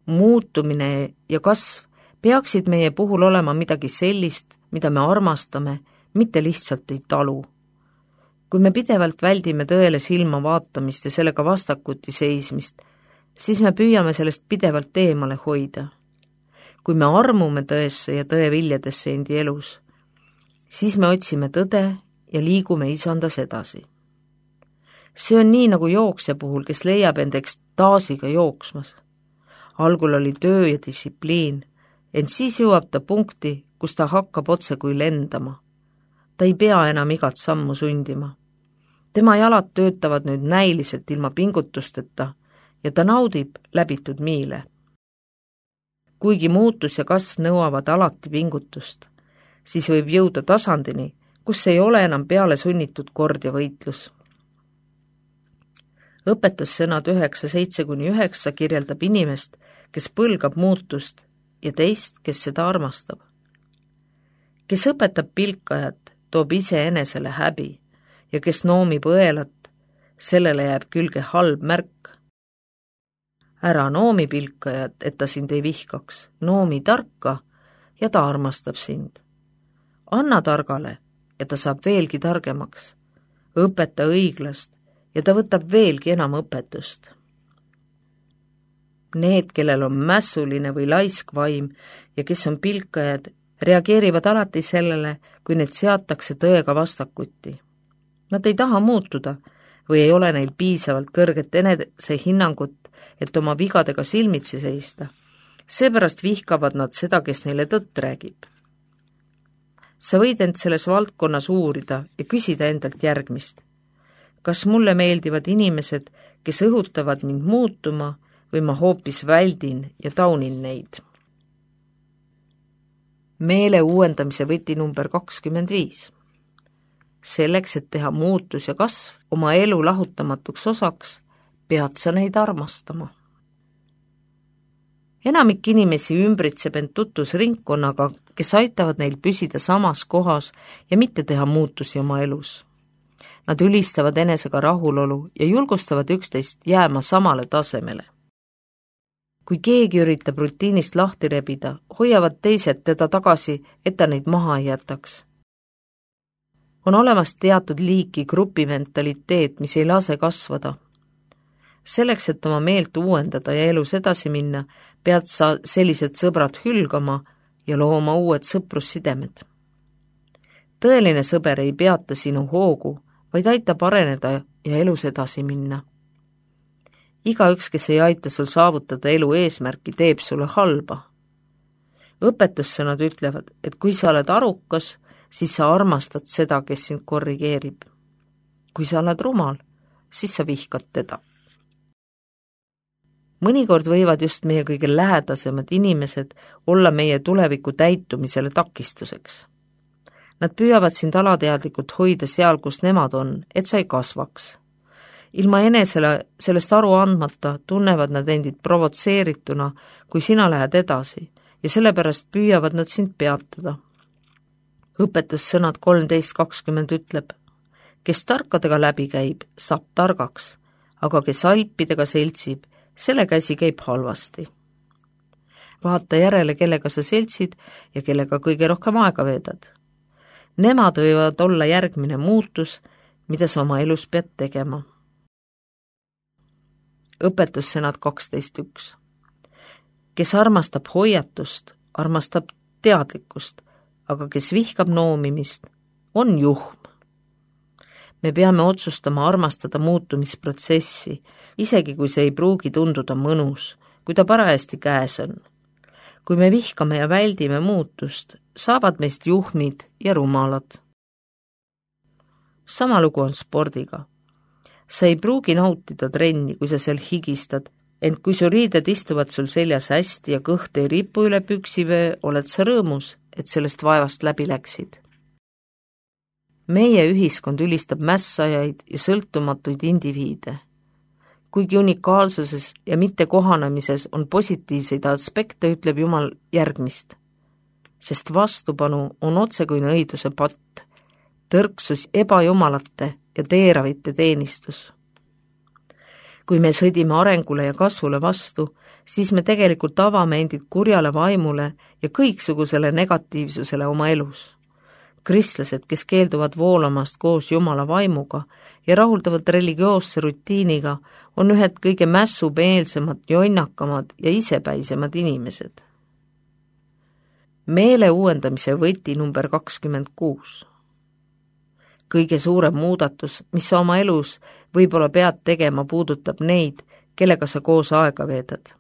Muutumine ja kasv peaksid meie puhul olema midagi sellist, mida me armastame, mitte lihtsalt ei talu. Kui me pidevalt väldime tõele silma vaatamist ja sellega vastakuti seismist, siis me püüame sellest pidevalt eemale hoida. Kui me armume tõesse ja tõe viljadesse endi elus, siis me otsime tõde ja liigume isandas edasi. See on nii nagu jooksja puhul, kes leiab end ekstaasiga jooksmas. Algul oli töö ja distsipliin, ent siis jõuab ta punkti, kus ta hakkab otse kui lendama. Ta ei pea enam igat sammu sundima. Tema jalad töötavad nüüd näiliselt ilma pingutusteta ja ta naudib läbitud miile. Kuigi muutus ja kasv nõuavad alati pingutust, siis võib jõuda tasandini, kus ei ole enam peale sunnitud kord ja võitlus. Õpetussõnad 9:7-9 kirjeldab inimest, kes põlgab muutust ja teist, kes seda armastab. Kes õpetab pilkajat, toob iseenesele häbi ja kes noomib õelat, sellele jääb külge halb märk. Ära noomi pilkajat, et ta sind ei vihkaks, noomi tarka ja ta armastab sind. Anna targale ja ta saab veelgi targemaks. Õpeta õiglast ja ta võtab veelgi enam õpetust. Need, kellel on mässuline või laisk vaim ja kes on pilkajad, reageerivad alati sellele, kui need seatakse tõega vastakuti. Nad ei taha muutuda või ei ole neil piisavalt kõrget enesehinnangut, et oma vigadega silmitsi seista. Seepärast vihkavad nad seda, kes neile tõtt räägib. Sa võid end selles valdkonnas uurida ja küsida endalt järgmist. Kas mulle meeldivad inimesed, kes õhutavad mind muutuma või ma hoopis väldin ja taunin neid? Meele uuendamise võti number 25. Selleks, et teha muutus ja kasv oma elu lahutamatuks osaks, pead sa neid armastama. Enamik inimesi ümbritseb end tutvusringkonnaga, kes aitavad neil püsida samas kohas ja mitte teha muutusi oma elus. Nad ülistavad enesega rahulolu ja julgustavad üksteist jääma samale tasemele. Kui keegi üritab rutiinist lahti rebida, hoiavad teised teda tagasi, et ta neid maha ei jätaks. On olemas teatud liiki grupimentaliteet, mis ei lase kasvada. Selleks, et oma meelt uuendada ja elus edasi minna, pead sa sellised sõbrad hülgama ja looma uued sõprussidemed. Tõeline sõber ei peata sinu hoogu, vaid aitab areneda ja elus edasi minna. Igaüks, kes ei aita sul saavutada elu eesmärki, teeb sulle halba. Õpetussõnad ütlevad, et kui sa oled arukas, siis sa armastad seda, kes sind korrigeerib. Kui sa oled rumal, siis sa vihkad teda. Mõnikord võivad just meie kõige lähedasemad inimesed olla meie tuleviku täitumisele takistuseks. Nad püüavad sind alateadlikult hoida seal, kus nemad on, et sa ei kasvaks. Ilma enesele sellest aru andmata tunnevad nad endid provotseerituna, kui sina lähed edasi ja sellepärast püüavad nad sind peatada. Õpetussõnad 13:20 ütleb, kes tarkadega läbi käib, saab targaks, aga kes alpidega seltsib, selle käsi käib halvasti. Vaata järele, kellega sa seltsid ja kellega kõige rohkem aega veedad. Nemad võivad olla järgmine muutus, mida sa oma elus pead tegema. Õpetussõnad 12:1. Kes armastab hoiatust, armastab teadlikkust, aga kes vihkab noomimist, on juhm. Me peame otsustama armastada muutumisprotsessi, isegi kui see ei pruugi tunduda mõnus, kui ta parajasti käes on. Kui me vihkame ja väldime muutust, saavad meist juhmid ja rumalad. Sama lugu on spordiga. Sa ei pruugi nautida trenni, kui sa seal higistad, ent kui su riided istuvad sul seljas hästi ja kõht ei ripu üle püksivöö, oled sa rõõmus, et sellest vaevast läbi läksid. Meie ühiskond ülistab mässajaid ja sõltumatuid indiviide. Kuigi unikaalsuses ja mitte kohanemises on positiivseid aspekte, ütleb Jumal järgmist. Sest vastupanu on otsekoine õiduse patt, tõrksus ebajumalate ja teeravite teenistus. kui me sõdime arengule ja kasvule vastu, siis me tegelikult avame endid kurjale vaimule ja kõiksugusele negatiivsusele oma elus. Kristlased, kes keelduvad voolamast koos Jumala vaimuga ja rahuldavad religioosse rutiiniga, on ühed kõige mässumeelsemad, jonnakamad ja isepäisemad inimesed. Meele uuendamise võti number 26. Kõige suurem muudatus, mis sa oma elus võib-olla pead tegema, puudutab neid, kellega sa koos aega veedad.